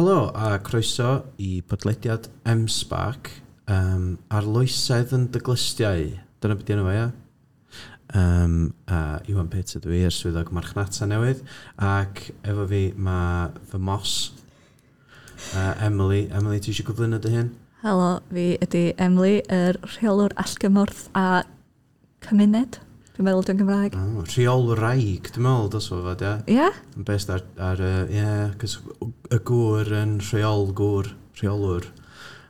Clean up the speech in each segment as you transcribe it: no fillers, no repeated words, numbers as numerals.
Helo a croeso i podlediad M-Spark, arloesedd yn dy glustiau. Dyna beth enw fo, ia? A Iwan Pitt ydw i, yr swyddog marchnata newydd, ac efo fi mae fy mos, Emily. Emily, ti eisiau gyflwyno dy hun? Helo, fi ydy Emily, yr rheolwr allgymorth a cymuned. Dwi'n meddwl dwi'n Gymraeg. Oh, rheolwraig, dwi'n meddwl dylse fo fod, ie? Ie? Yn based ar ie, cos y gŵr yn rheolgwr, rheolwr.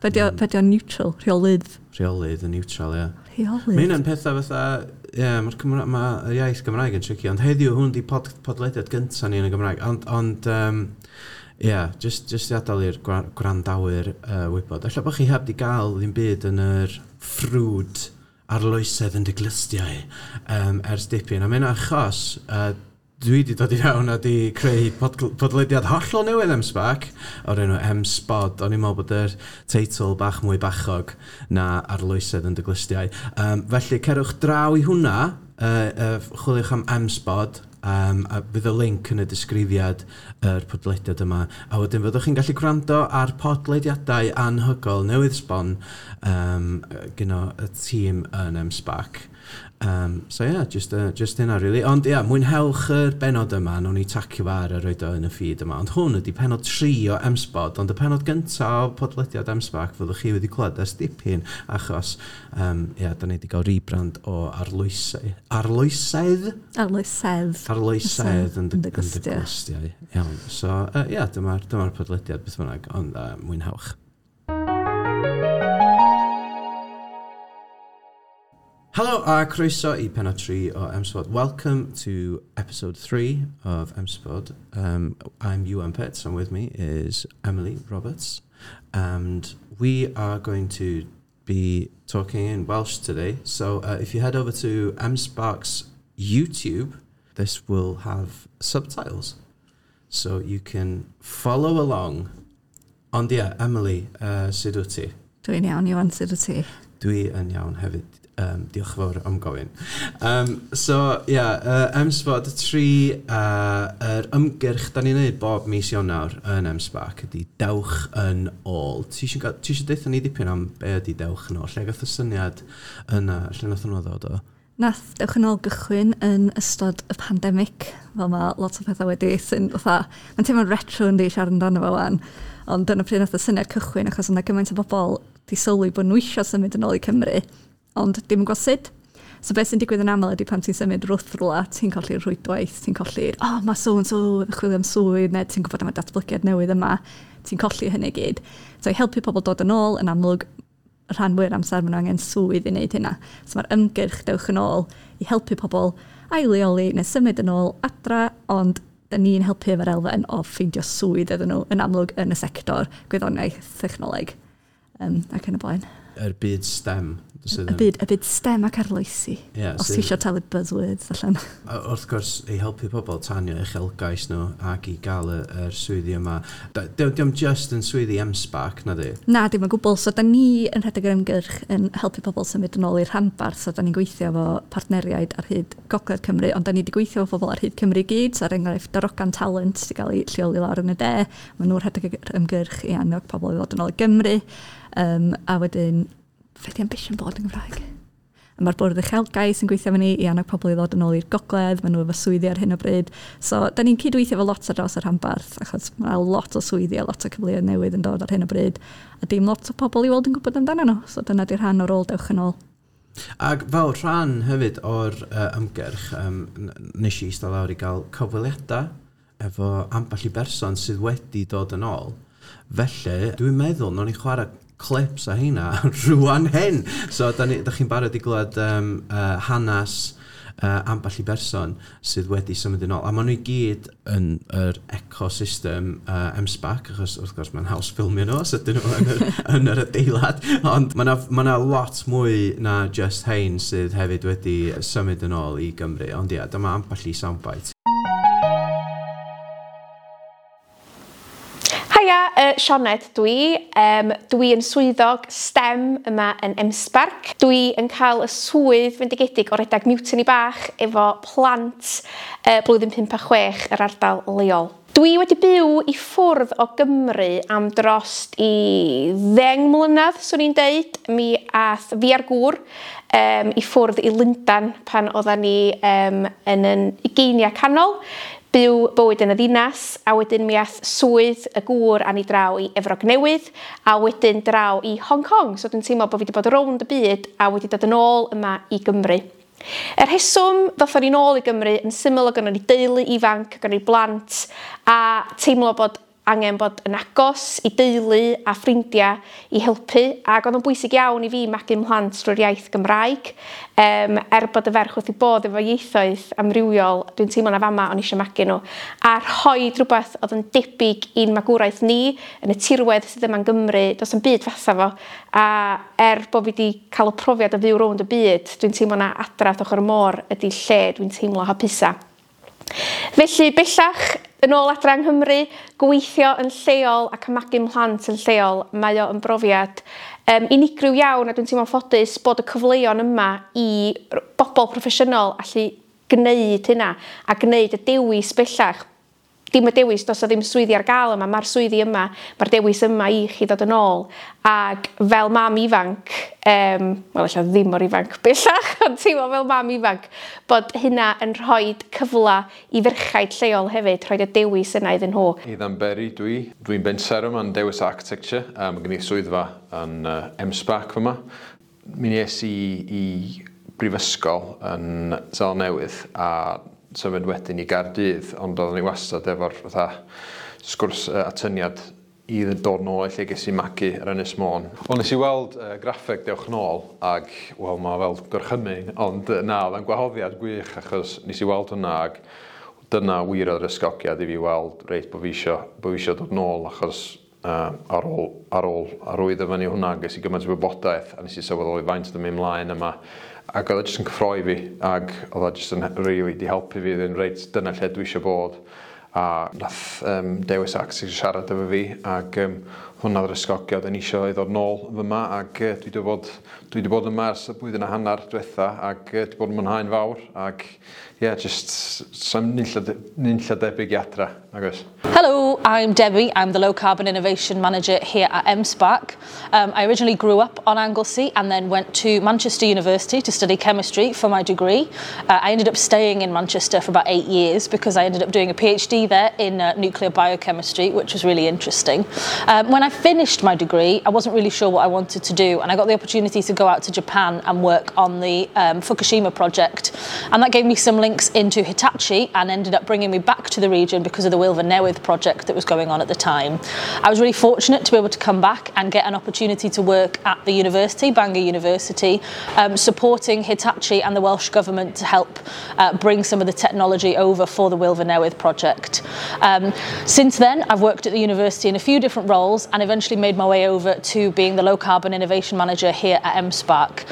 Be di o'n neutral? Rheolydd? Rheolydd yn neutral, ie. Rheolydd? Mae hynna'n pethau fatha, ie, mae'r ma yr iaith Gymraeg yn tricky, ond heddiw hwn di podlediad gyntaf ni yn y Gymraeg, ond ie, just i adael i'r gwrandawyr wybod. Ella bod chi heb di gael ddim byd yn yr ffrwd arloesedd yn dy glustiau ers dipyn. A mae'n achos, dwi wedi dod i fewn a di creu podlediad hollol newydd M-Spark o'r enw M-Spod. O'n i'n meddwl bod yr teitl bach mwy bachog na arloesedd yn dy glustiau. Felly, cerwch draw i hwnna, chwiliwch am M-Spod, a fydd y link yn y disgrifiad yr podlediad yma. A wedyn fyddwch chi'n gallu gwrando ar podlediadau anhygoel newydd sbon gyno y tîm yn M-Spark. So yeah, just hynna really. Ond ie, yeah, mwynhewch yr benod yma, nawn ni tacio fo ar a roed o yn y feed yma. Ond hwn ydy penod 3 o M-Spod, ond y penod gyntaf o podlediad M-Spark fyddwch chi wedi clywed ers dipyn, achos ie, da ni wedi cael rebrand o arloesedd. Arloesedd? Arloesedd. Arloesedd yn dy glustiau. Iawn. So, ie, yeah, dyma'r podlediad beth bynnag, ond mwynhewch. Helo a croeso i penod 3 o M-Spod. Welcome to episode 3 of M-Spod. I'm Iwan Pitts and with me is Emily Roberts. And we are going to be talking in Welsh today. So if you head over to M-Spark's YouTube, this will have subtitles. So you can follow along. Ond ie, Emily, sut wyt ti? Dwi'n iawn, Iwan, sut wyt ti? Dwi yn iawn hefyd. Diolch yn fawr am gofyn. So, ie, yeah, M-Spod 3, yr ymgyrch da ni'n neud bob mis Ionawr yn M-Spark ydy Dewch yn Ôl. Ti eisiau deutha ni dipyn am be ydy Dewch yn Ôl? Lle gath y syniad yna? Lle nath hwnnw ddod o? Nath Dewch yn Ôl gychwyn yn ystod y pandemig, fel mae lot o pethau wedi sy'n fatha, mae'n teimlo'n retro yndi siarad amdano fo wan, ond dyna pryd nath y syniad cychwyn achos yna gymaint o bobl di sylwi bod nhw eisiau symud yn ôl i Cymru, ond dim yn gwybod sut. So beth sy'n digwydd yn aml ydy pan ti'n symud wrth rwla, ti'n colli'r rhwydwaith, ti'n colli'r, oh, mae so and so yn chwilio am swydd, neu ti'n gwybod am y datblygiad newydd yma, ti'n colli hynny gyd. So i helpu pobl dod yn ôl, yn amlwg, y rhan fwy'r amser maen nhw angen swydd i wneud hynna. So mae'r ymgyrch Dewch yn Ôl i helpu pobl ail-leoli neu symud yn ôl adra, ond da ni'n helpu efo'r elfen o ffeindio swydd iddyn nhw yn amlwg yn y sector gwyddoniaeth, technoleg, ac yn y blaen. Yr byd STEM. Y byd STEM ac arloesi. Yeah, os ti eisiau talu buzzwords allan. Wrth gwrs, i helpu pobl tanio uchelgais nhw ac i gael yr swyddi yma. Diolch just yn swyddi M-Spark, na di? Na, dim yn gwbl. So, da ni yn rhedeg yr ymgyrch yn helpu pobl symud yn ôl i'r rhanbarth. So, da ni'n gweithio efo partneriaid ar hyd Gogledd Cymru, ond da ni wedi gweithio efo pobl ar hyd Cymru i gyd. So, er enghraifft, Darogan Talent sydd wedi cael ei lleoli lawr yn y de. Maen nhw'n rhedeg yr ymgyrch i annog pobl i ddod yn ôl i Gymru. A wedyn, fe di ambition board yn Gymraeg? A mae'r bwrdd uchelgais yn gweithio efo ni i annog pobl i ddod yn ôl i'r gogledd, maen nhw efo swyddi ar hyn o bryd. So, da ni'n cydweithio efo lot ar draws y rhanbarth, achos mae lot o swyddi a lot o cyfleoedd newydd yn dod ar hyn o bryd, a dim lot o pobl i weld yn gwybod amdano nhw. So, dyna di'r rhan o'r ôl Dewch yn Ôl. Ac fel rhan hefyd o'r ymgyrch, nes i eistedd lawr i gael cyfweliadau efo ambell i berson sydd wedi dod yn ôl. Felly, dwi'n meddwl, nawn ni chwarae clips a heina rwan hyn. So, da chi'n barod i glywed hanes ambell i berson sydd wedi symud yn ôl. A maen nhw i gyd yn yr ecosystem M-Spark, achos wrth gwrs mae'n haws ffilmio nhw os ydyn nhw yn yr adeilad. Ond mae yna lot mwy na just hein sydd hefyd wedi symud yn ôl i Gymru. Ond ie, dyma ambell i soundbite. Haia, Sioned dwi. Dwi yn swyddog STEM yma yn M-Spark. Dwi yn cael y swydd fendigedig o redag Mutiny bach efo plant blwyddyn 5 a 6 yr ardal leol. Dwi wedi byw i ffwrdd o Gymru am drost i 10 mlynedd, swn i'n deud. Mi ath fi a'r gŵr i ffwrdd i Lundan pan oeddan ni yn yn ugeiniau canol, byw bywyd yn y ddinas, a wedyn mi ath swydd y gŵr â ni draw i Efrog Newydd, a wedyn draw i Hong Kong. So dwi'n teimlo bod fi wedi bod rownd y byd a wedi dod yn ôl yma i Gymru. Y rheswm ddothon ni nôl i Gymru yn syml, oedd gynnon ni deulu ifanc, gynnon ni blant, a teimlo bod angen bod yn agos i deulu a ffrindiau i helpu, ac oedd o'n bwysig iawn i fi magu mhlant drwy'r iaith Gymraeg. Er bod y ferch wrth ei bodd efo ieithoedd amrywiol, dwi'n teimlo na fama o'n i eisiau magu nhw. A rhoi rhywbeth oedd yn debyg i'n magwraeth ni, yn y tirwedd sydd yma'n Gymru, does 'am byd fatha fo. A er bod fi wedi cael y profiad o fyw rownd y byd, dwi'n teimlo na adra wrth ochr y môr ydy lle dwi'n teimlo hapusa. Felly, bellach, yn ôl adra yng Nghymru, gweithio yn lleol ac yn magu mhlant yn lleol, mae o yn brofiad unigryw iawn, a dwi'n teimlo'n ffodus bod y cyfleon yma i bobl proffesiynol allu gwneud hynna a gwneud y dewis bellach. Dim y dewis, does 'na ddim swyddi ar gael yma, mae'r swyddi yma, mae'r dewis yma i chi ddod yn ôl. Ac fel mam ifanc, wel, ella ddim mor ifanc bellach, ond teimlo fel mam ifanc, bod hynna yn rhoi cyfle i ferchaid lleol hefyd, rhoi y dewis yna iddyn nhw. Ethan Berry dwi. Dwi'n bensaer yma yn Dewis Architecture. Mae gen i swyddfa yn M-SParc fyma. Mi nes i i brifysgol yn Seland Newydd a symud wedyn i Gaerdydd, ond oeddwn i wastad efo'r fatha sgwrs atyniad i ddod nôl i lle ges i magu ar Ynys Môn. Wel, nes i weld graffeg "Dewch Nôl" ag, wel, mae fel gorchymyn, ond na, oedd o'n gwahoddiad gwych achos nes i weld hwnna ag dyna wir oedd yr ysgogiad i fi weld reit bod fi isio dod nôl, achos ar ôl arwyddo fyny hwnna ges i gymaint o wybodaeth a nes i sylweddoli faint oedd yn mynd mlaen yma ac oedd o jyst yn cyffroi fi ac oedd o jyst yn really di helpu fi ddyn reit dyna lle dwi eisiau bod, a nath Dewis Architecture siarad efo fi ac hwnna oedd yr ysgogiad yn eisiau i ddod nôl fyma ac dwi wedi bod yma ers y blwyddyn a hanner diwetha ac dwi wedi bod yn mwynhau'n fawr ac ie, yeah, just sa'm nunlla debyg i adra, nag oes. Hello, I'm Debbie. I'm the Low Carbon Innovation Manager here at M-SParc. I originally grew up on Anglesey and then went to Manchester University to study chemistry for my degree. I ended up staying in Manchester for about 8 years because I ended up doing a PhD there in nuclear biochemistry, which was really interesting. When I finished my degree, I wasn't really sure what I wanted to do, and I got the opportunity to go out to Japan and work on the Fukushima project. And that gave me some links into Hitachi and ended up bringing me back to the region because of the Wylfa Newydd project that was going on at the time. I was really fortunate to be able to come back and get an opportunity to work at the university, Bangor University, supporting Hitachi and the Welsh Government to help bring some of the technology over for the Wylfa Newydd project. Since then, I've worked at the university in a few different roles and eventually made my way over to being the Low Carbon Innovation Manager here at M-SParc.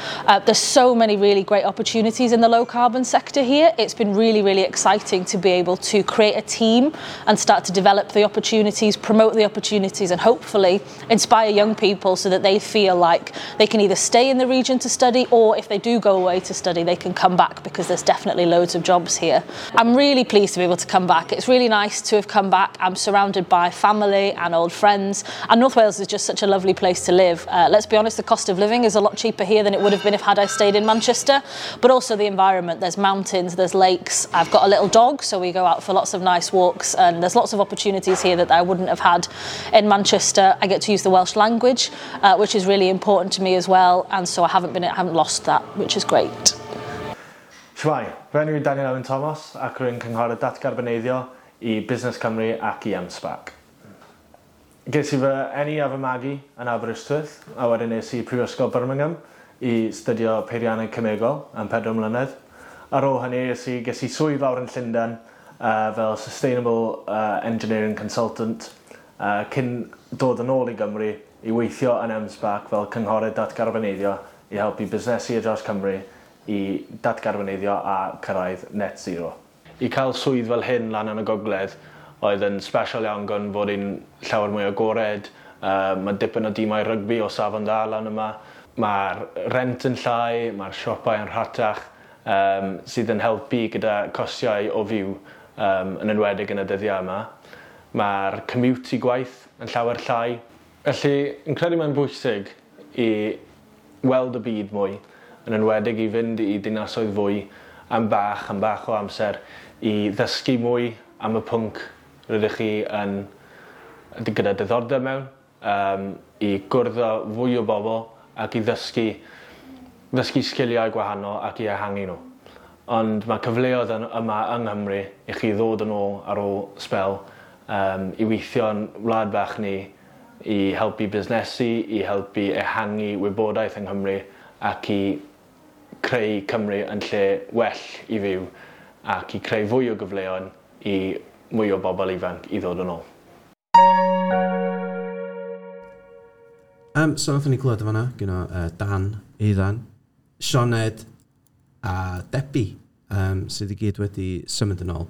There's so many really great opportunities in the low carbon sector here. It's been really, really exciting to be able to create a team and start to develop the opportunities, promote the opportunities, and hopefully inspire young people so that they feel like they can either stay in the region to study, or if they do go away to study, they can come back because there's definitely loads of jobs here. I'm really pleased to be able to come back. It's really nice to have come back. I'm surrounded by family and old friends, and North Wales is just such a lovely place to live. Let's be honest, the cost of living is a lot cheaper here than it would have been if had I stayed in Manchester, but also the environment. There's mountains, there's lakes. I've got a little dog, so we go out for lots of nice walks, and there's lots of opportunities here that I wouldn't have had in Manchester. I get to use the Welsh language, which is really important to me as well, and so I haven't lost that, which is great. Shwmae, fy enw i Daniel Owen Thomas ac rwy'n cynghorydd datgarboneiddio i Busnes Cymru ac i M-SParc. Ges i fy eni a fy magu yn Aberystwyth a wedyn es i Prifysgol Birmingham i studio peirianneg cemegol am 4 mlynedd. Ar ôl hynny ges i swydd fawr yn Llundain fel Sustainable Engineering Consultant cyn dod yn ôl i Gymru i weithio yn M-SParc fel cynghorydd datgarboneiddio i helpu busnesu ar draws Cymru i datgarboneiddio a cyrraedd net zero. I cael swydd fel hyn lan yn y gogledd oedd yn special iawn gan fod hi'n llawer mwy agored. Mae dipyn o dimau rygbi o safon dda lan yma. Mae'r rent yn llai, mae'r siopau yn rhatach, sydd yn helpu gyda costiau o fyw, yn enwedig yn y dyddiau yma. Mae'r commute i gwaith yn llawer llai. Felly, yn credu mae'n bwysig i weld y byd mwy, yn enwedig i fynd i dinasoedd fwy am bach o amser i ddysgu mwy am y pwnc rydych chi yn gyda diddordeb mewn, i gwrdd â fwy o bobl ac i ddysgu sgiliau gwahanol ac i ehangu nhw. Ond mae cyfleoedd yma yng Nghymru i chi ddod yn ôl ar ôl sbel i weithio yn wlad bach ni, i helpu busnesu, i helpu ehangu wybodaeth yng Nghymru ac i creu Cymru yn lle well i fyw ac i creu fwy o gyfleoedd i mwy o bobl ifanc i ddod yn ôl. So nathon ni clywed yn fanna, gyda Dan, Eiddon, Sioned a Debbie, sydd i gyd wedi symud yn ôl.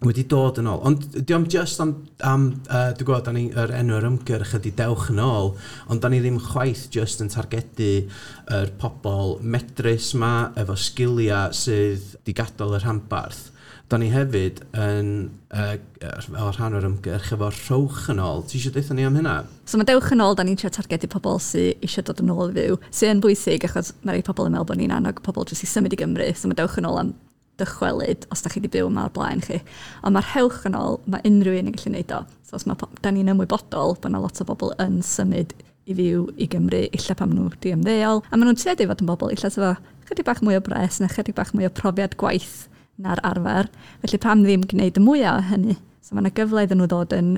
Wedi dod yn ôl. Ond diolch just am, dwi'n gwybod, da ni, yr enw'r ymgyrch ydy "Dewch yn ôl", ond da ni ddim chwaith just yn targedu yr pobl medrus ma, efo sgiliau sydd di gadael y rhanbarth. Da ni hefyd yn, fel rhan o'r ymgyrch, efo "Rhowch yn ôl". Ti eisiau deutha ni am hynna? So mae "Dewch yn ôl", da ni'n trio targedu pobl sydd eisiau dod yn ôl i fyw, sydd yn bwysig achos mae rhai pobl yn meddwl bod ni'n annog pobl jyst i symud i Gymru. So mae "Dewch yn ôl" am dychwelyd os da chi wedi byw yma o'r blaen chi. Ond mae'r "Rhowch yn ôl", mae unrhyw un yn gallu gwneud o. So os mae, da ni'n ymwybodol bod yna lot o bobl yn symud i fyw i Gymru, illa pan maen nhw wedi ymddeol. A maen nhw'n tueddu i fod yn bobl illa sydd efo chydig bach mwy o bres neu chydig bach mwy o profiad gwaith na'r arfer. Felly pam ddim gwneud y mwyaf o hynny? So mae yna gyfle iddyn nhw ddod yn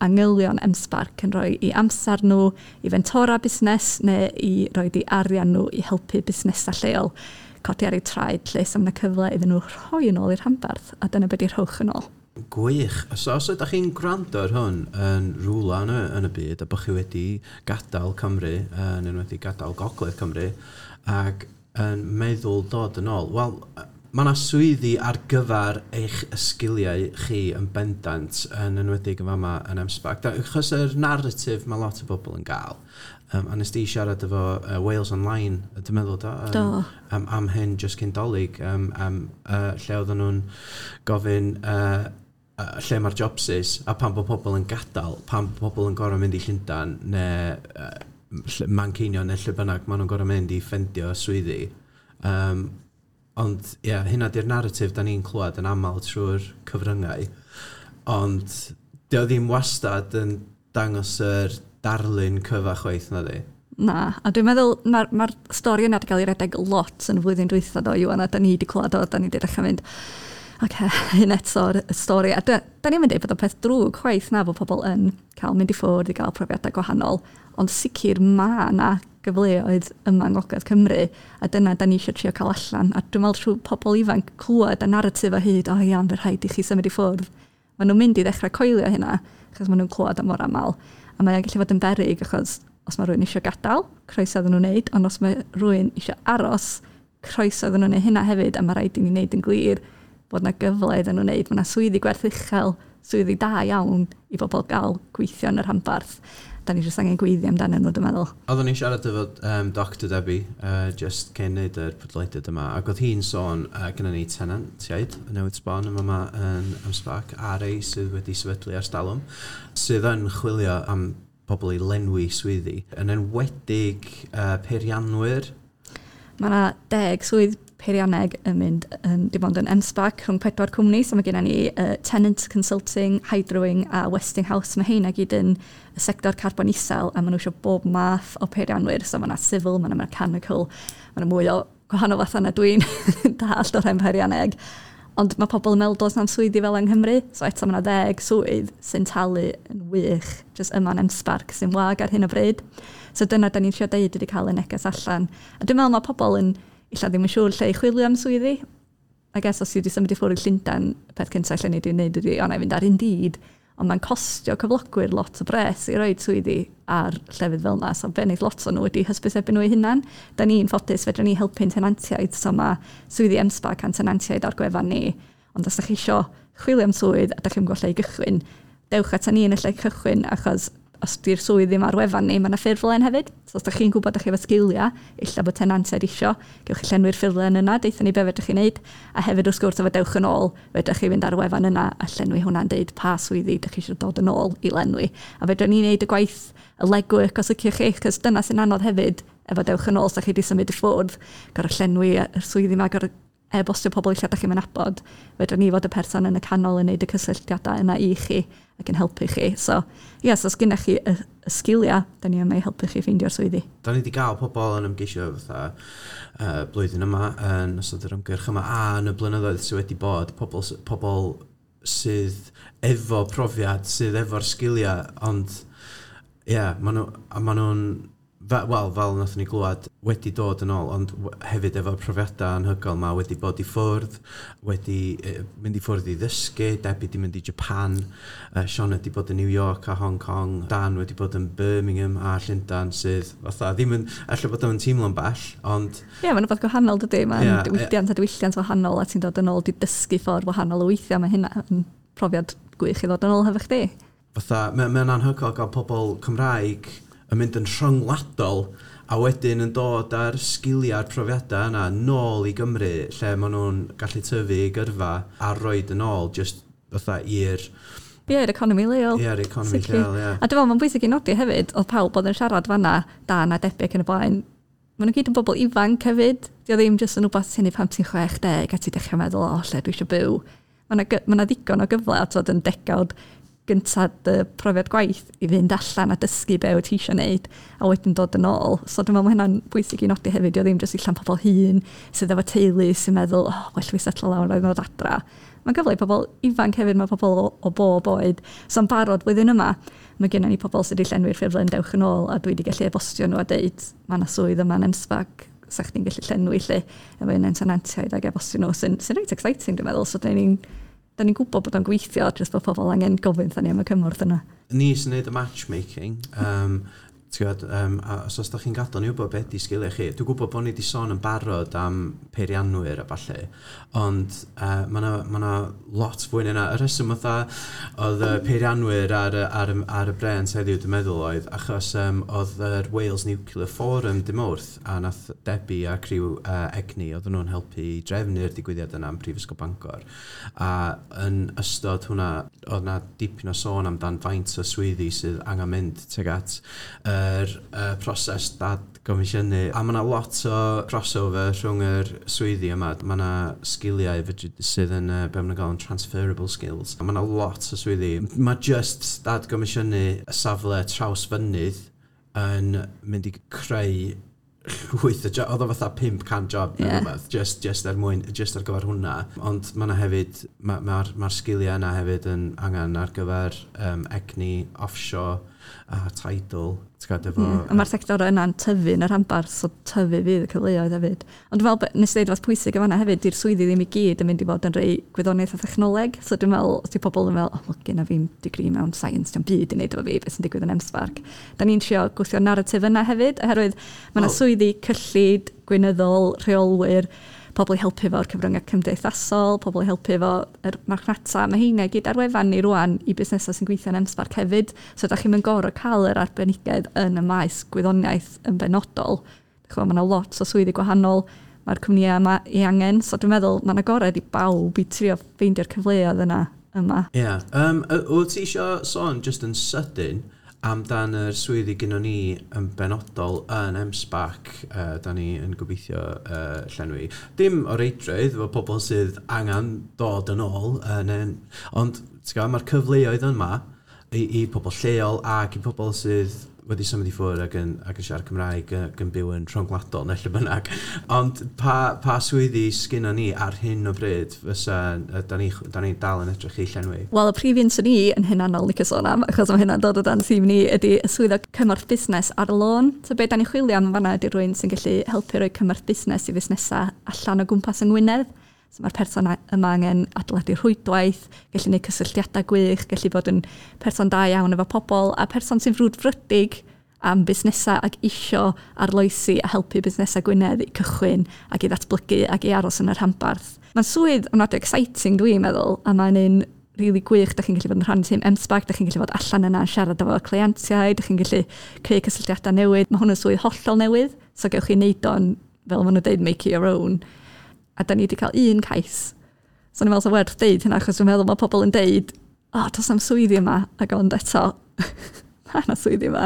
angylion M-SParc yn rhoi i amser nhw i fentora busnes neu i roi i arian nhw i helpu busnesau lleol codi ar eu traed lle. So mae yna cyfle iddyn nhw rhoi yn ôl i'r rhanbarth, a dyna beth 'di "Rhowch yn ôl". Gwych. So os ydych chi'n gwrando ar hwn yn rhywle yn y byd a bod chi wedi gadael Cymru, yn enwedig gadael Gogledd Cymru, ac yn meddwl dod yn ôl, wel, mae yna swyddi ar gyfer eich sgiliau chi yn bendant, yn enwedig yn fama yn M-SParc. Achos yr narratif mae lot o bobl yn gael. A nes di siarad efo Wales Online, dwi'n meddwl, do? Do. Am hyn just cyn Dolig, am lle oedden nhw'n gofyn lle mae'r jobsys, a pan bod pobl yn gadael, pan bod pobl yn gorfod mynd i Llundain, neu Manceinion neu lle bynnag, maen nhw'n gorfod mynd i ffendio swyddi. Ond, ie, yeah, hynna di'r narratif da ni'n clywed yn aml trwy'r cyfryngau. Ond, dio ddim wastad yn dangos yr darlun cyfa chwaith na di. Na, a dwi'n meddwl mae'r ma stori yna wedi cael ei redeg lot yn y flwyddyn dwytha do, Iwan, a da ni wedi clywed o, da ni wedi dechrau mynd, oce, hyn eto'r y stori. A da ni'n mynd i bod o'n peth drwg chwaith na bod pobl yn cael mynd i ffwrdd i gael profiadau gwahanol, ond sicr mae yna gyfleoedd yma yng Ngogledd Cymru, a dyna da ni eisiau trio cael allan. A dwi'n meddwl trwy pobl ifanc clywed y narratif o hyd, "O iawn, fe rhaid i chi symud i ffwrdd." Maen nhw'n mynd i ddechrau coelio hynna, achos maen nhw'n clywed am mor aml. A mae'n gallu fod yn beryg, achos os mae rhywun eisiau gadael, croeso iddyn nhw wneud, ond os mae rhywun eisiau aros, croeso iddyn nhw wneud hynna hefyd, a mae rhaid i ni wneud yn glir bod yna gyfle iddyn nhw wneud. Mae yna swyddi gwerth uchel, swyddi da iawn i bobl gael gweithio yn y rhanbarth. Da ni jyst angen gweiddi amdanyn nhw, dwi'n meddwl. Oeddwn ni'n siarad efo Dr Debbie just cyn neud yr podlediad yma, ac oedd hi'n sôn, gyda ni tenantiaid newydd sbon yma yma yn M-SParc, a rei sydd wedi sefydlu ers talwm, sydd yn chwilio am pobl i lenwi swyddi, yn enwedig peirianwyr. Mae yna 10 swydd peirianneg yn mynd yn, dim ond yn M-SParc rhwng pedwar cwmni. So mae gennym ni Tennant Consulting, Hydrowing a Westinghouse. Mae heina gyd yn y sector carbon isel a maen nhw eisiau bob math o peirianwyr. So mae yna civil, mae yna mechanical, mae yna mwy o gwahanol fathau na dwi'n dallt o'r hen peirianneg. Ond mae pobl yn meddwl does na'm swyddi fel yng Nghymru, so eto mae yna 10 swydd sy'n talu yn wych, jyst yma yn M-SParc sy'n wag ar hyn o bryd. So dyna da ni'n trio deud ydy cael y neges allan. A dwi'n meddwl mae pobl yn illa ddim yn siŵr lle i chwilio am swyddi. I guess os ti wedi symud i ffwrdd i Llundain, y peth cyntaf lle ni wedi wneud ydy, o na i fynd ar Indeed, ond mae'n costio cyflogwyr lot o bres i roi swyddi ar llefydd fel yna. So be wneith lot o nhw ydy hysbysebu nhw eu hunan. Da ni'n ffodus, fedrwn ni helpu'n tenantiaid, so mae swyddi M-SParc a'n tenantiaid ar gwefan ni. Ond os da chi isio chwilio am swydd a da chi'n gwybod lle i gychwyn, dewch ata ni yn y lle cychwyn, achos Os di'r swydd ddim ar wefan ni, mae yna ffurflen hefyd. So os ydych chi'n gwybod ydych chi efo sgiliau, illa bod tenantiaid isio, gewch chi llenwi'r ffurflen yna, deutha ni be fedrwch chi wneud. A hefyd wrth gwrs efo Dewch yn Ôl, fedrwch chi fynd ar y wefan yna a llenwi hwnna'n deud pa swyddi ydych chi eisiau dod yn ôl i lenwi. A fedrwn ni wneud y gwaith, y legwork os ydych chi, cos dyna sy'n anodd hefyd efo Dewch yn Ôl, os ydych chi wedi symud i ffwrdd, gorfod llenwi y swyddi yma, gorfod e-bostio pobl ella dach chi'm yn nabod, fedrwn ni fod y person yn y canol yn neud y cysylltiadau yna i chi ac yn helpu chi. So, ie, so os gennych chi y, y sgiliau, da ni yma i helpu chi ffeindio'r swyddi. Da ni wedi gael pobl yn ymgeisio fatha blwyddyn yma yn ystod yr ymgyrch yma a yn y blynyddoedd sydd wedi bod, pobl, pobl sydd efo profiad, sydd efo'r sgiliau, ond ie, yeah, maen nhw, a maen nhw'n wel, fel nathon ni glywed, wedi dod yn ôl, ond hefyd efo'r profiadau anhygoel ma wedi bod i ffwrdd, wedi mynd i ffwrdd i ddysgu, Debbie di mynd i Japan, Sioned wedi bod yn New York a Hong Kong, Dan wedi bod yn Birmingham a Llundain, sydd fatha ddim yn, ella bod o'n teimlo'n bell, ond. Ie, yeah, mae'n rhywbeth gwahanol dydy, mae'n yeah, diwydiant a diwylliant wahanol a ti'n dod yn ôl di dysgu ffordd wahanol o weithio, mae hynna yn profiad gwych i ddod yn ôl hefo chdi. Fatha, mae'n mae anhygoel gael pobl Cymraeg yn mynd yn rhyngwladol a wedyn yn dod â'r sgiliau a'r profiadau yna nôl i Gymru lle maen nhw'n gallu tyfu i gyrfa a roed yn ôl just fatha i'r Ie, yr economi leol. Ie, yr economi lleol, ie. A dwi'n meddwl, mae'n bwysig i nodi hefyd, oedd pawb oedd yn siarad fanna, Dan a Debbie ac yn y blaen, maen nhw gyd yn bobl ifanc hefyd. Di o ddim jyst yn wbeth ti'n neud pan ti'n 60 a ti'n dechrau meddwl, o, lle dwi eisiau byw. Mae yna ma ddigon o gyfle a tod yn degawd gyntaf dy profiad gwaith i fynd allan a dysgu be wyt ti eisiau gwneud a wedyn dod yn ôl. So dwi'n meddwl mae hynna'n bwysig i nodi hefyd, di o ddim jyst i allan pobl hŷn sydd efo teulu sy'n meddwl, oh, well fi setlo lawr a ddod adra. Mae'n gyfle i pobl ifanc hefyd, mae pobl o bob oed. So yn barod blwyddyn yma, mae gennym ni pobl sydd wedi llenwi'r ffurflen Dewch yn Ôl a dwi wedi gallu e-bostio nhw a deud, mae yna swydd yma yn M-SParc, sa chdi'n gallu llenwi lle efo un o'n tenantiaid ac e-bostio nhw, sy'n sy reit exciting dwi'n meddwl. So da ni'n gwybod bod o'n gweithio, jyst bod pobl angen gofyn wrthon ni am y cymorth yna. Ni sy'n neud y matchmaking. Ti'n gwybod, a os oes da chi'n gadael ni wybod beth di sgiliau chi, dwi'n gwybod bod ni wedi sôn yn barod am peirianwyr a falle, ond mae yna ma 'na lot fwy na yna. Y rheswm fatha oedd y peirianwyr ar y brêns heddiw, dwi'n meddwl oedd, achos oedd yr Wales Nuclear Forum dy Mawrth, a nath Debbie a criw Egni, oedden nhw'n helpu i drefnu'r digwyddiad yna yn Prifysgol Bangor. A yn ystod hwnna, oedd na dipyn o sôn amdan faint o swyddi sydd angen mynd tuag at yr proses dad-gomisiynu. A mae yna lot o crossover rhwng yr swyddi yma. Mae yna sgiliau sydd yn, be maen nhw'n gael yn transferable skills. A mae yna lot o swyddi. Mae just dad-gomisiynu y safle Trawsfynydd yn mynd i creu llwyth o job, oedd o fatha 500 job neu rhywbeth, just er mwyn, just ar gyfer hwnna. Ond mae yna hefyd, mae'r ma, ma sgiliau yna hefyd yn angen ar gyfer egni offshore a tidal. Ti'n gwybod, efo. Ie, a mae'r sector yna'n tyfu yn y rhanbarth, so tyfu fydd y cyfleoedd hefyd. Ond dwi'n meddwl, nes i ddeud rhywbeth pwysig yn fan'na hefyd, di'r swyddi ddim i gyd yn mynd i fod yn rhai gwyddoniaeth a thechnoleg. So dwi'n meddwl, os di pobl yn meddwl, oh, well, gynna fi'n degree mewn science, dio'm byd i wneud efo fi, beth sy'n digwydd yn M-SParc. Da ni'n trio gwthio narratif yna hefyd, oherwydd mae yna swyddi cyllid, gweinyddol, rheolwyr, pobl i helpu efo'r cyfryngau cymdeithasol, pobl i helpu efo yr marchnata. Mae heina i gyd ar wefan ni rwan i busnesau sy'n gweithio yn M-SParc hefyd. So da chi'n mynd gorfod cael yr arbenigedd yn y maes gwyddoniaeth yn benodol. Dach chi'n gwbod, mae yna lot o swyddi gwahanol, mae'r cwmnïau yma i angen. So dwi'n meddwl mae'n agored i bawb i trio ffeindio'r cyfleoedd yna yma. Ie. Yeah. Wyt ti isio sôn just yn sydyn amdan yr swyddi gynnon ni yn benodol yn M-SParc, da ni yn gobeithio llenwi. Dim o reidrwydd, efo pobl sydd angen dod yn ôl, ond ti'n gwbod, mae'r cyfleoedd yma i pobl lleol ac i pobl sydd wedi symud i ffwrdd ac yn siarad Cymraeg ac yn byw yn rhyngwladol neu lle bynnag. Ond pa swyddi sgynnon ni ar hyn o bryd fysa, da ni dal yn edrych i llenwi? Wel, y prif un sy'n ni yn hunanol licio sôn am, achos mae hynna'n dod o dan tîm ni, ydy y swyddog cymorth busnes ar y lôn. So be da ni'n chwilio am fanna ydy rhywun sy'n gallu helpu rhoi cymorth busnes i fusnesau allan o gwmpas yng Ngwynedd. So mae'r person yma angen adeiladu rhwydwaith, gallu gwneud cysylltiadau gwych, gallu bod yn person da iawn efo pobl, a person sy'n frwdfrydig am busnesau ac isio arloesi a helpu busnesau Gwynedd i cychwyn ac i ddatblygu ac i aros yn y rhanbarth. Mae'n swydd ofnadwy exciting dwi'n meddwl, a mae'n un Really gwych, da chi'n gallu bod yn rhan tîm M-SParc, da chi'n gallu bod allan yna yn siarad efo cleientiaid, da chi'n gallu creu cysylltiadau newydd. Mae hwn yn swydd hollol newydd, so gewch chi wneud o'n, fel maen nhw'n dweud, make it your own. A da ni wedi cael un cais. So ni'n meddwl sa'n werth deud hynna, achos dwi'n meddwl mae pobl yn deud, "O, oh, does 'na'm swyddi yma," ac ond eto, mae yna swyddi yma,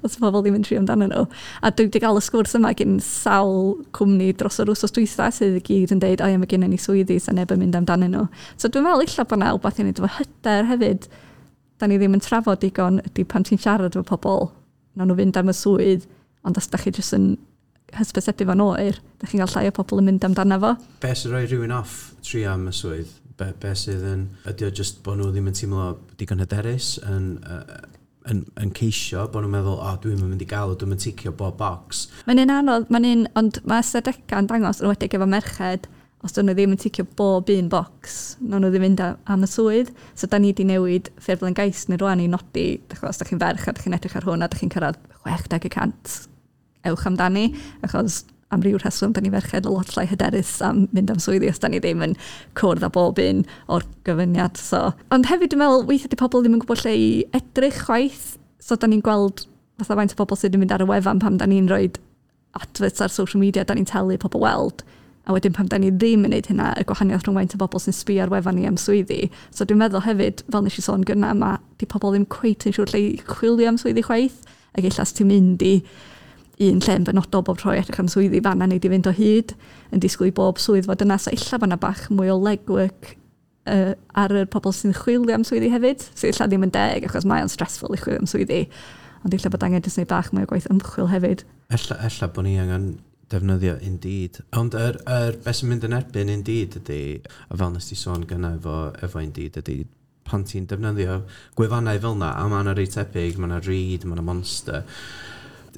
os pobl ddim yn trio amdano nhw. A dwi wedi cael y sgwrs yma gen sawl cwmni dros yr wsos dwytha sydd i gyd yn deud, "O ie, mae gennym ni swyddi, so neb yn mynd amdanyn nhw." So dwi'n meddwl ella bod 'na wbath i wneud efo hyder hefyd. Da ni ddim yn trafod digon ydy pan ti'n siarad efo pobl, nawn nhw fynd am y swydd, ond os da chi jyst yn hysbysebu fo'n oer, da chi'n cael llai o pobl yn mynd amdano fo. Be sy'n rhoi rhywun off trio am y swydd? Be sydd yn... Ydy o just bod nhw ddim yn teimlo digon hyderus yn ceisio, bod nhw'n meddwl, "O, oh, dwi'n mynd i gael o, dwi'n mynd ticio bob box"? Mae'n un anodd, mae'n un, ond mae ystadegau yn dangos, yn enwedig efo merched, os dyn nhw ddim yn ticio bob un bocs, nawn nhw ddim mynd am y swydd. So da ni wedi newid ffurflen gais ni rwan i nodi, dych os da chi'n ferch a da chi'n edrych ar hwn a da chi'n cyrraedd 60%, ewch amdani, achos am ryw rheswm, da ni ferched a lot llai hyderus am mynd am swyddi os da ni ddim yn cwrdd â bob un o'r gyfyniad. So. Ond hefyd dwi'n meddwl, weithiau di pobl ddim yn gwybod lle i edrych chwaith. So da ni'n gweld fatha faint o bobl sydd yn mynd ar y wefan pan da ni'n rhoi adverts ar social media, da ni'n talu pobl weld. A wedyn pan da ni ddim yn gwneud hynna, y gwahaniaeth rhwng faint o bobl sy'n sbio ar wefan ni am swyddi. So dwi'n meddwl hefyd, fel nes i sôn gynna, mae di pobl ddim cweit yn siŵr lle i chwilio am swyddi chwaith. Ac ella os ti'n mynd i un lle yn benodol bob tro i edrych am swyddi, fanna nei di fynd o hyd, yn disgwyl i bob swydd fod yna. So ella bod yna bach mwy o legwork ar y pobl sy'n chwilio am swyddi hefyd. So ella ddim yn deg, achos mae o'n stressful i chwilio am swyddi. Ond ella bod angen jyst gwneud bach mwy o gwaith ymchwil hefyd. Ella bod ni angen defnyddio Indeed. Ond yr beth sy'n mynd yn erbyn Indeed ydy, a fel nes ti sôn gynna efo Indeed ydy, pan ti'n defnyddio gwefannau fel yna, a mae yna rei tebyg, mae yna Reed, mae yna Monster,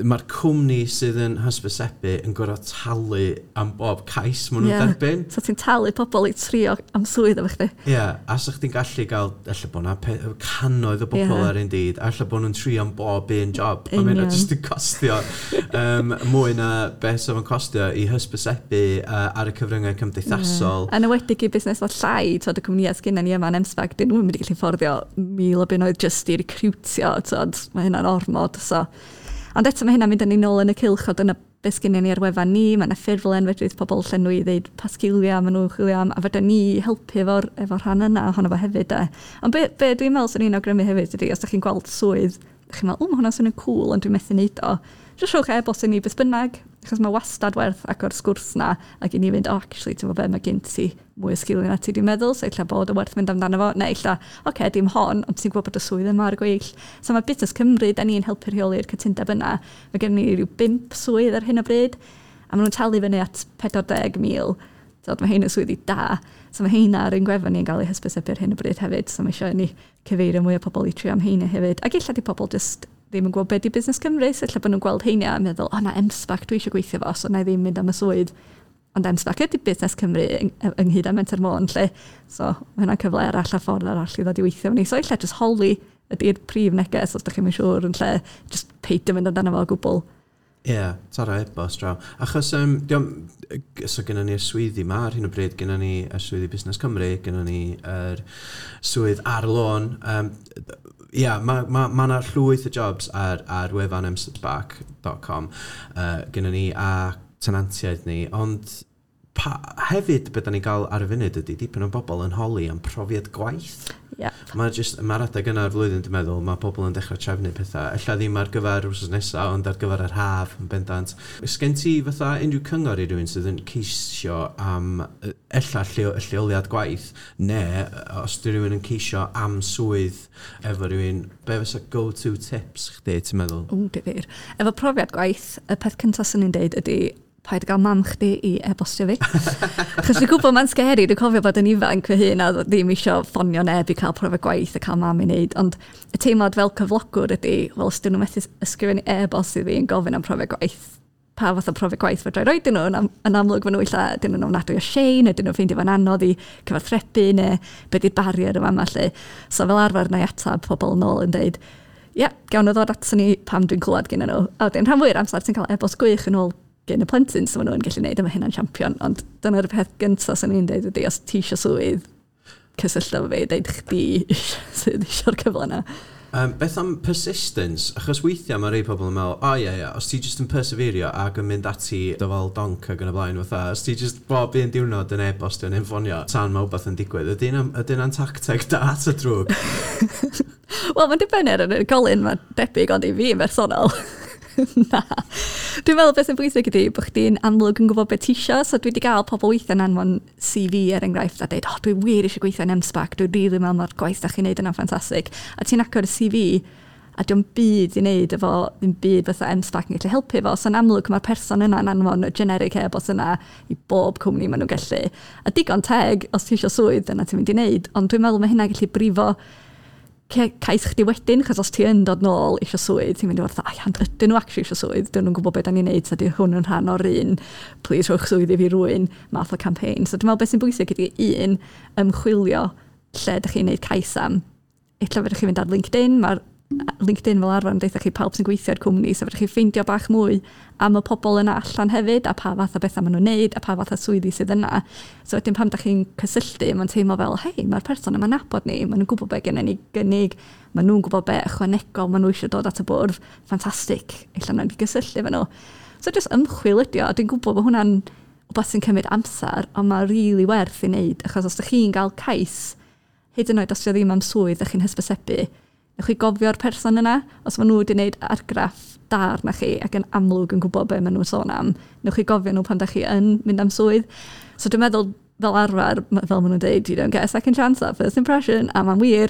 mae'r cwmni sydd yn hysbysebu yn gorfod talu am bob cais maen nhw'n derbyn. So ti'n talu pobl i trio am swydd efo chdi. Ie, yeah, a sa chdi'n gallu gael, ella bod yna cannoedd o bobl ar Indeed, a ella bod nhw'n trio am bob un job. A mae'n jyst yn costio mwy na beth sydd yn costio i hysbysebu ar y cyfryngau cymdeithasol. Yeah. Yn enwedig i busnes o llai, twod, y cwmnïau sgynna ni yma yn M-SParc, dyn nhw'n mynd i gallu fforddio 1,000 o bunnoedd jyst i recrwtio, twod, mae hynna'n ormod. So. Ond eto mae hynna'n mynd â ni nôl yn y cylch o dyna beth sgynnon ni ar wefan ni, mae yna ffurflen fedrith pobl llenwi i ddeud pa sgiliau maen nhw'n chwilio am, a fedra ni helpu efo rhan yna ohono fo hefyd. De. Ond be dwi'n meddwl sy'n ni'n awgrymu hefyd ydy, os ydych chi'n gweld swydd, ydych chi'n meddwl, "O, mae hwnna'n swnio'n cool, ond dwi'n methu neud o." Jyst rhowch e-bost i ni beth bynnag, achos mae wastad werth agor sgwrs na, ac i ni fynd, "O, oh, actually, ti'n gwybod be, mae gen ti mwy o sgiliau na ti dwi'n meddwl, so ella bod o werth mynd amdano fo," neu ella, "Oce, okay, dim hon, ond ti'n gwybod bod y swydd yma ar y gweill." So mae Busnes Cymru, da ni'n helpu rheoli'r cytundeb yna. Mae gen ni rhyw bump swydd ar hyn o bryd, a maen nhw'n talu fyny at 40,000. So, mae hein yn swyddi da. So mae heina ar ein gwefan ni'n cael eu hysbysebu ar hyn o bryd hefyd. So mae eisiau ni cyfeirio mwy o pobl i trio am heina hefyd. Ac ella di pobl just ddim yn gwybod beth di Busnes Cymru, so ella bod nhw'n gweld heina a meddwl, "O na, M-SParc dwi eisiau gweithio fo, so na i ddim mynd am y swydd." Ond M-SParc ydy Busnes Cymru ynghyd â Menter Môn, lle. So mae hynna'n cyfle arall a ffordd arall i ddod i weithio efo ni. So ella just holi ydy'r prif neges os ydych chi'n siŵr yn lle just peidio mynd amdano fo o gwbl. Ie, yeah, tara e-bost draw. Achos, diom, so gennym ni'r swyddi ma ar hyn o bryd, gennym ni y swyddi Busnes Cymru, gennym ni yr swydd ar lôn. Ia, mae ma 'na llwyth o jobs ar wefan msparc.com gennym ni a tenantiaid ni, ond hefyd beth da ni'n gael ar y funud ydy dipyn o bobl yn holi am profiad gwaith. Mae just, mae'r adeg yna o'r flwyddyn, dwi'n meddwl, mae pobl yn dechrau trefnu pethau. Ella ddim ar gyfer wrth nesaf, ond ar gyfer yr haf yn bendant. Sgen ti fatha unrhyw cyngor i rywun sydd yn ceisio am ella lleoliad gwaith, neu os di rhywun yn ceisio am swydd efo rhywun, be fysa go-to tips chdi, ti'n meddwl? O, difyr. Efo profiad gwaith, y peth cyntaf sy'n ni'n deud ydy paid gael mam chdi i e-bostio fi. Achos dwi'n gwybod mae'n scary, dwi'n cofio bod yn ifanc fy hun a ddim eisiau ffonio neb i cael profiad gwaith a cael mam i wneud. Ond y teimlad fel cyflogwr ydy, wel, os dyn nhw methu ysgrifennu e-bost i fi yn gofyn am profiad gwaith, pa fath o profiad gwaith fedra i roid nhw, yn amlwg maen nhw ella, dyn nhw'n ofnadwy o shy, neu dyn nhw'n ffeindio fo'n anodd i cyfathrebu, neu be di'r barrier yma yma lle. So fel arfer na i atab pobl yn ôl yn dweud, "Ie, yeah, gawn nhw ddod ato ni pam dwi'n clywed gen nhw." A wedyn rhan fwy'r amser ti'n cael e-bost gwych yn ôl gen y plentyn, so maen nhw'n gallu gwneud, a mae hynna'n champion. Ond dyna'r peth gyntaf sy'n ni'n dweud ydy, os ti eisiau swydd, Cysyllto efo fi, deud chdi sydd eisiau'r cyfle yna. Beth am persistence? Achos weithiau mae rhai pobl yn meddwl, o oh, ie, ie, os ti jyst yn perseverio ac yn mynd ati dyfal donc ac yn y blaen, fatha, os ti jyst bob un diwrnod yn e-bostio neu'n ffonio, tan mae wbeth yn digwydd, ydy hynna'n tacteg da ta drwg? Wel, mae'n dibynnu ar yr unigolyn, mae'n debyg, ond i fi yn bersonol, na. Dwi'n meddwl beth sy'n bwysig ydy bod chdi'n amlwg yn gwybod beth ti isio. So dwi wedi gael pobl weithiau'n anfon CV er enghraifft a dweud, "Oh, dwi wir eisiau gweithio yn M-SParc, dwi'n rili really meddwl mae'r gwaith da chi'n neud yna'n ffantastig." A ti'n agor y CV a dio'm byd i wneud efo ddim byd fatha M-SParc yn gallu helpu fo. So yn amlwg mae'r person yna'n anfon y generic e-bost yna i bob cwmni maen nhw'n gallu. A digon teg, os ti eisiau swydd, dyna ti'n mynd i wneud. Ond dwi'n meddwl mae hynna'n gallu brifo cais chdi wedyn, chos os ti yn dod nôl eisiau swydd, ti'n mynd i fod fatha, "Ai, ond ydyn nhw actually eisiau swydd? Dyn nhw'n gwybod beth da ni'n neud, so di hwn yn rhan o'r un, please rhowch swydd i fi rwy'n math o campaign." So dwi'n meddwl beth sy'n bwysig ydy un, ymchwilio lle ydych chi'n neud cais am. Ella fedrwch chi fynd ar LinkedIn, mae'r LinkedIn fel arfer yn deutha chi pawb sy'n gweithio i'r cwmni, so fedrwch chi ffeindio bach mwy am y pobl yna allan hefyd, a pa fath o bethau maen nhw'n neud, a pa fath o swyddi sydd yna. So wedyn pan da chi'n cysylltu, mae'n teimlo fel, "Hei, mae'r person yma'n nabod ni, maen nhw'n gwybod beth gennym ni gynnig, maen nhw'n gwybod be ychwanegol maen nhw eisiau dod at y bwrdd, ffantastig, ella nawn ni gysylltu efo nhw." So just ymchwil ydi o, a dwi'n gwybod bod hwnna'n wbeth sy'n cymryd amser, ond mae'n rili really werth i wneud, achos os ydych chi'n gael cais, hyd yn oed os 'di o ddim am swydd ydych chi'n hysbysebu, newch chi gofio'r person yna, os maen nhw wedi gwneud argraff da arna chi ac yn amlwg yn gwybod be maen nhw'n sôn am, newch chi gofio nhw pan da chi yn mynd am swydd. So dwi'n meddwl, fel arfer, fel maen nhw'n dweud, "You don't get a second chance at first impression," a mae'n wir.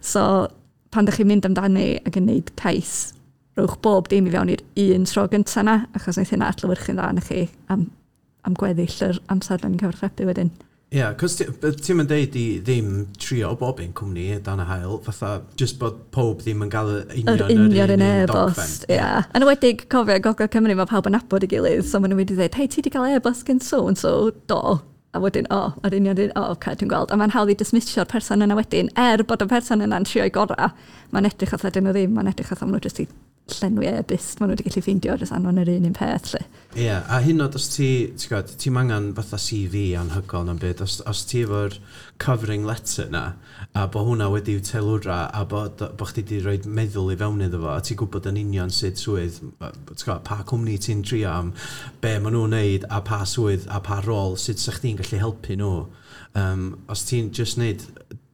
So pan da chi'n mynd amdani ac yn gwneud cais, rhowch bob dim i fewn i'r un tro gyntaf yna, achos wneith hynna adlewyrchu'n dda arna chi am gweddill yr amser da ni'n cyfathrebu wedyn. Ie, yeah, cos ti'n mynd deud i ddim trio bob un cwmni dan y haul, fatha, just bod pob ddim yn gael y union yr union un e-bost, ie. Yeah. Yn enwedig, cofio, Gogledd Cymru, mae pawb yn nabod ei gilydd, so maen nhw'n mynd i ddweud, "Hei, ti wedi cael e-bost gen so and so?" "Do." A wedyn, "O, oh, yr union un, o, oh, okay, dwi'n gweld." A mae'n hawdd i dismissio'r person yna wedyn, er bod y person yna'n trio'i gorau, mae'n edrych fatha dyn nhw ddim, mae'n edrych fatha maen nhw jyst i llenwi e-byst, maen nhw wedi gallu ffeindio jyst anfon yr un un peth, lle. Ie, yeah, a hyn oed os ti, ti'n gwybod, ti'n angen fatha CV anhygoel na'n byd, os ti efo'r covering letter na, a bod hwnna wedi'w teilwra, a bod chdi wedi rhoi meddwl i fewn iddo fo, a ti'n gwybod yn union sut swydd, ti'n gwybod, pa cwmni ti'n trio am, be maen nhw'n neud, a pa swydd, a pa rôl, sut sa chdi'n gallu helpu nhw. Os ti'n just neud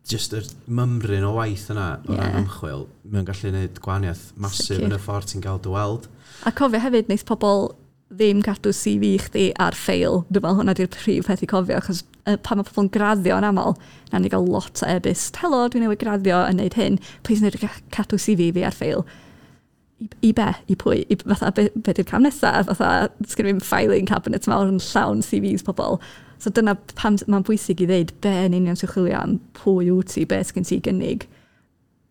just yr mymryn o waith yna o ran ymchwil, mae'n gallu gwneud gwahaniaeth masif yn y ffordd ti'n gael dy weld. A cofio hefyd, neith pobl ddim cadw CV chdi ar ffeil. Dwi'n meddwl hwnna di'r prif peth i cofio, achos pan mae pobl yn graddio yn aml, na ni gael lot o e-byst, "Helo, dwi newydd graddio yn neud hyn, please wneud cadw CV fi ar ffeil." I be? I pwy? I, fatha, be di'r cam nesaf? Fatha, sgyn fi'n filing cabinet mawr yn llawn CVs pobl. So dyna pam mae'n bwysig i ddeud be yn union sy'n chwilio am, pwy wyt ti, be sgyn ti gynnig,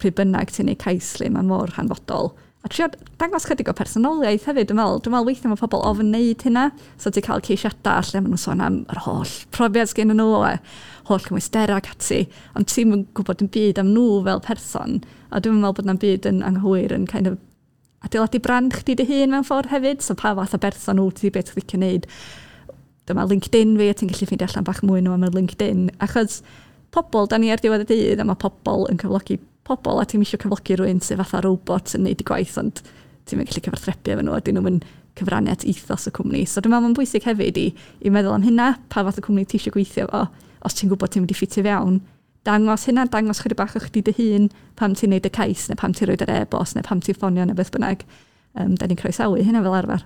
pryd bynnag ti'n neud cais lle, mae'n mor hanfodol. A trio dangos chydig o personoliaeth hefyd, dwi'n meddwl. Dwi'n meddwl weithiau mae pobl ofn wneud hynna. So ti'n cael ceisiadau lle maen nhw'n sôn am yr holl profiad sgyn nhw, a holl cymwysterau ac ati. Ond ti'n yn gwybod yn byd am nhw fel person. A dwi'n meddwl bod na'n byd yn anghywir yn kind of adeiladu brand chdi dy hun mewn ffordd hefyd. So pa fath o berson wyt ti, beth ti'n licio wneud. Dyma LinkedIn fi, a ti'n gallu ffeindio allan bach mwy nhw am y LinkedIn. Achos pobl, da ni ar diwedd y dydd, a mae pobl yn cyflogi pobl, a ti'n eisiau cyflogi rhywun sydd fatha robot yn neud i gwaith, ond ti'n mynd gallu cyfathrebu efo nhw, a dyn nhw'n cyfrannu at ethos y cwmni. So dwi'n meddwl mae'n bwysig hefyd i meddwl am hynna, pa fath o cwmni ti eisiau gweithio fo, os ti'n gwybod ti'n mynd i ffitio fewn, dangos hynna, dangos chydig bach o chdi dy hun pam ti'n neud y cais, neu pam ti'n rhoi yr e-bost, neu pam ti'n ffonio, neu beth bynnag. Da ni'n croesawu hynna fel arfer.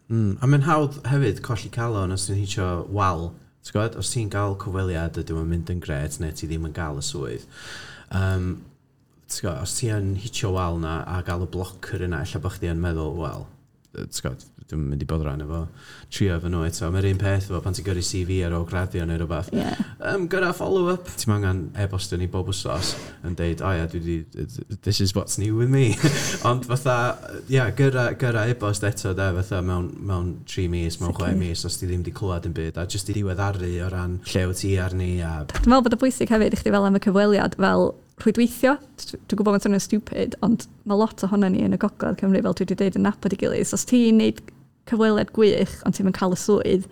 A mae'n hawdd hefyd colli calon os ti'n hitio wal. Ti'n gwybod? Os ti'n gael cyfweliad ydw yn mynd yn gret neu ti ddim yn gael y swydd. Ti'n gwybod, os ti yn hitio wal na a gael y blocker yna, ella bod chdi yn meddwl, wel, ti'n gwybod, dwi'n mynd i bod ran efo trio efo nhw eto. Mae'r un peth efo pan ti'n gyrru CV ar ôl graddio neu rhywbeth. Gyrra follow-up. Ti'n angen e-bostio ni bob wsos yn deud, "O ia, dwi di, this is what's new with me." Ond fatha, ia, yeah, gyrra e-bost eto, de, fatha mewn 3 mis, mewn 6 mis, os ti ddim di clywed yn byd, a jyst i diweddaru o ran lle wyt ti arni. A Dwi'n meddwl bod y bwysig hefyd i chdi fel am y cyfweliad, fel rhwydweithio. Dwi'n gwybod mae'n swnio'n stupid, ond mae lot ohono ni yn y Gogledd Cymru, fel dwi wedi dweud, yn nabod i gilydd. So os ti'n neud cyfweliad gwych, ond ti'n mynd cael y swydd,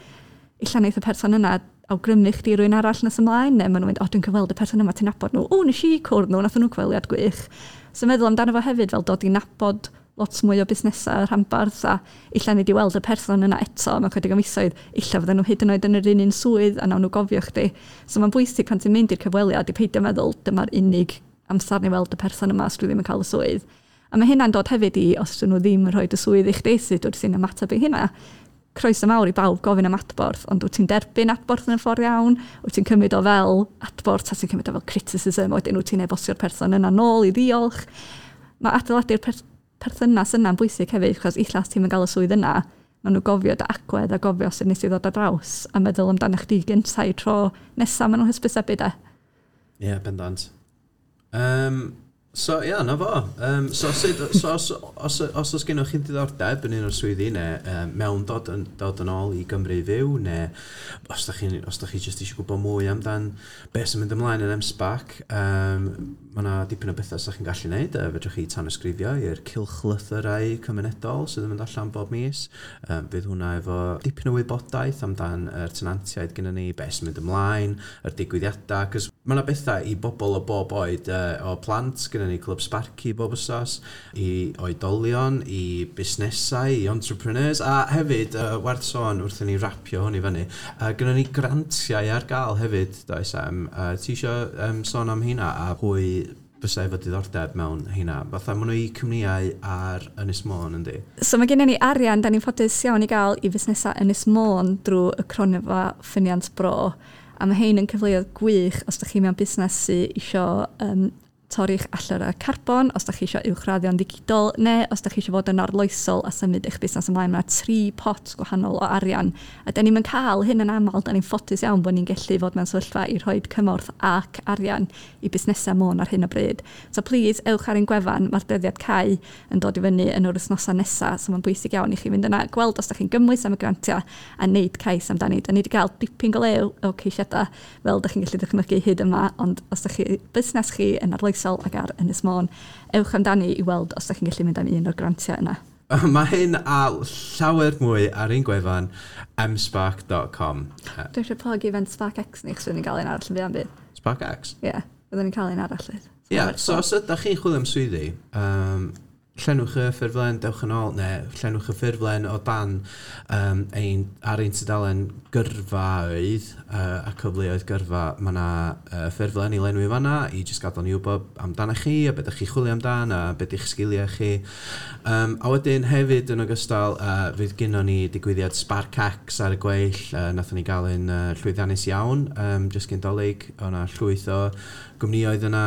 illa wneith y person yna awgrymu chdi rywun arall nes ymlaen, neu maen nhw'n mynd, o, dwi'n cyfweld y person yma, ti'n nabod nhw, o, nes i cwrdd nhw, nath nhw cyfweliad gwych. So meddwl amdano fo hefyd fel dod i nabod lot mwy o busnesau rhanbarth a illa ni di weld y person yna eto mewn chydig o misoedd, illa fydden nhw hyd yn oed yn yr un un swydd a nawn nhw gofio chdi. So mae'n bwysig pan ti'n mynd i'r cyfweliad i peidio meddwl dyma'r unig amser ni weld y person yma os dwi ddim yn cael y swydd. A mae hynna'n dod hefyd i os dyn nhw ddim yn rhoi y swydd i chdi, sut wyt ti'n ymateb i hynna. Croeso mawr i bawb gofyn am adborth, ond wyt ti'n derbyn adborth yn y ffordd iawn, wyt ti'n cymryd o fel adborth, a ti'n cymryd o fel criticism, wedyn wyt ti'n e-bostio'r person yna nôl i ddiolch. Mae adeiladu'r perthynas yna'n bwysig hefyd, achos illa os ti'n gael y swydd yna, maen nhw gofio dy agwedd a gofio sut nes i ddod ar draws a meddwl amdano chdi gyntaf i tro nesaf maen nhw'n hysbysebu de. Ie, yeah, bendant. So, ia, yeah, na fo. So, sut, so os, os oes gennych chi diddordeb yn un o'r swyddi, neu mewn dod yn ôl i Gymru fyw, neu os da chi, os da chi jyst eisiau gwybod mwy amdan beth sy'n mynd ymlaen yn M-SParc, mae yna dipyn o bethau sy'ch chi'n gallu gwneud. Fedrwch chi tanysgrifio i'r cylchlythyrau cymunedol sydd yn mynd allan bob mis. Fydd hwnna efo dipyn o wybodaeth amdan yr tenantiaid gyda ni, beth sy'n mynd ymlaen, yr digwyddiadau, cos mae yna bethau i bobl o bob oed, o plant, gyda ni Clwb Sparky bob wsos, i oedolion, i busnesau, i entrepreneurs, a hefyd, werth sôn wrth i ni rapio hwn i fyny, gyda ni grantiau ar gael hefyd, does, Em? Ti isio sôn am hynna a pwy fysa efo diddordeb mewn hynna? Fatha, maen nhw i cwmnïau ar Ynys Môn, yndi? So mae gennym ni arian, da ni'n ffodus iawn i gael i fusnesau Ynys Môn drwy y cronfa Ffyniant Bro. A mae hein yn cyfleoedd gwych os ydych chi mewn busnes sydd isio torri'ch allyrrau carbon, os ydych chi eisiau uwchraddio'n ddigidol, neu os ydych chi eisiau fod yn arloesol a symud eich busnes ymlaen. Mae yna 3 pot gwahanol o arian. A da ni'm yn cael hyn yn aml, da ni'n ffodus iawn bod ni'n gallu fod mewn sefyllfa i rhoi cymorth ac arian i busnesau Môn ar hyn o bryd. So please, ewch ar ein gwefan, mae'r dyddiad cau yn dod i fyny yn yr wythnosau nesaf, so mae'n bwysig iawn i chi fynd yna, gweld os ydych chi'n gymwys am y grantiau a wneud cais amdani. Da ni wedi cael dipyn go lew o ceisiadau, fel ydych chi'n gallu dychmygu hyd yma, ond os ydych chi busnes chi yn arloesol ac ar Ynys Môn, ewch amdani i weld os ydych chi'n gallu mynd am un o'r grantiau yna. Mae hyn a llawer mwy ar ein gwefan msparc.com. Dwi eisiau plug event Spark X ni, chos fyddwn ni'n cael un arall yn fuan bydd. Spark X? Ie, yeah, fyddwn ni'n cael un arall. Ie, yeah, so os ydych chi'n chwilio am swyddi, llenwch y ffurflen, dewch yn ôl, neu llenwch y ffurflen o dan ar ein tudalen gyrfaoedd a cyfleoedd gyrfa, mae yna ffurflen i lenwi fanna i jyst gadael ni wybod amdano chi, a beth ydych chi chwilio amdan, a beth ydych sgiliau chi. A wedyn hefyd yn ogystal, fydd gynnon ni digwyddiad Spark X ar y gweill, nathon ni gael un llwyddiannus iawn, jyst cyn Dolig, o'na llwyth o gwmnïoedd yna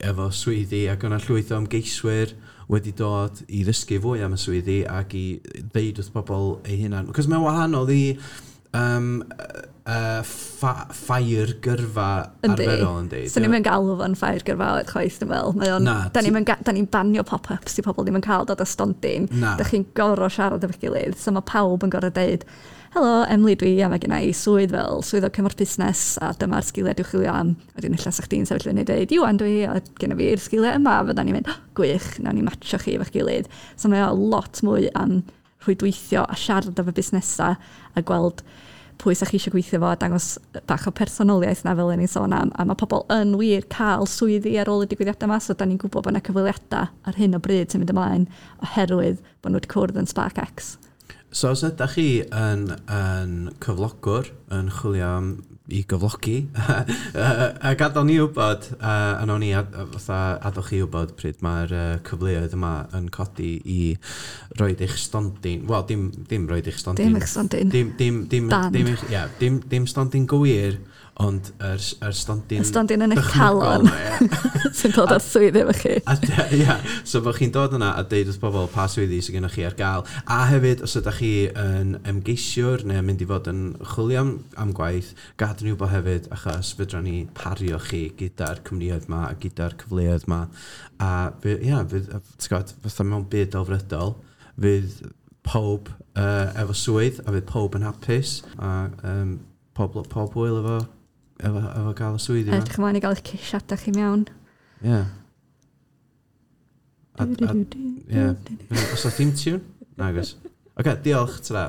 efo swyddi, ac o'na llwyth o ymgeiswyr wedi dod i ddysgu fwy am y swyddi ac i ddeud wrth bobl eu hunan. Cos mae'n wahanol i ffair gyrfa arferol, yndi? So ni'n mynd galw fo'n ffair gyrfaoedd chwaith, dwi'n meddwl. Mae o'n, da ni'n banio pop-ups i pobl ddim yn cael dod o stondin. Da chi'n gorfod siarad efo'ch gilydd, so mae pawb yn gorfod deud, helo, Emily dwi, a mae gen i swydd fel swyddog cymorth busnes, a dyma'r sgiliau dwi'n chwilio am. A wedyn ella sa chdi'n sefyll fyny a deud, Iwan dwi, a gen i fi'r sgiliau yma, a fyddan ni'n mynd, oh, gwych, nawn ni matcho chi efo'ch gilydd. So mae o lot mwy am rhwydweithio a siarad efo busnesau a gweld pwy sa chi eisiau gweithio fo a dangos bach o personoliaeth na fel o'n i'n sôn am. A mae pobl yn wir cael swyddi ar ôl y digwyddiadau yma, so da ni'n gwybod bod yna cyfweliadau ar hyn o bryd sy'n mynd ymlaen oherwydd bod nhw wedi cwrdd yn Spark X. So os ydych chi yn cyflogwr, yn chwilio am i gyflogi, a gadael ni wybod, a nawn ni fatha adael chi wybod pryd mae'r cyfleoedd yma yn codi i roid eich stondin, wel, dim roid eich stondin. Dim eich stondin. Dim, Dan. dim eich, ie, dim stondin gywir, ond yr stondin Y stondin yn eich dychmygol calon. yma, ie. Sy'n dod â swydd efo chi. A ia, so bod chi'n dod yna a deud wrth bobl pa swyddi sydd gennych chi ar gael. A hefyd, os ydych chi yn ymgeisiwr neu mynd i fod yn chwilio am gwaith, gad ni wybod hefyd, achos fedra ni pario chi gyda'r cwmnïoedd ma a gyda'r cyfleoedd ma. A ia, fydd, ti'n gwbod, fatha mewn byd delfrydol, fydd pob efo swydd a fydd pob yn hapus a pob hwyl efo gael y swyddi yma. Edrych ymlaen i gael eich ceisiadau chi mewn. Ie. Ie. Oes 'na theme tune? Nag oes. Oce, diolch, ta-ra.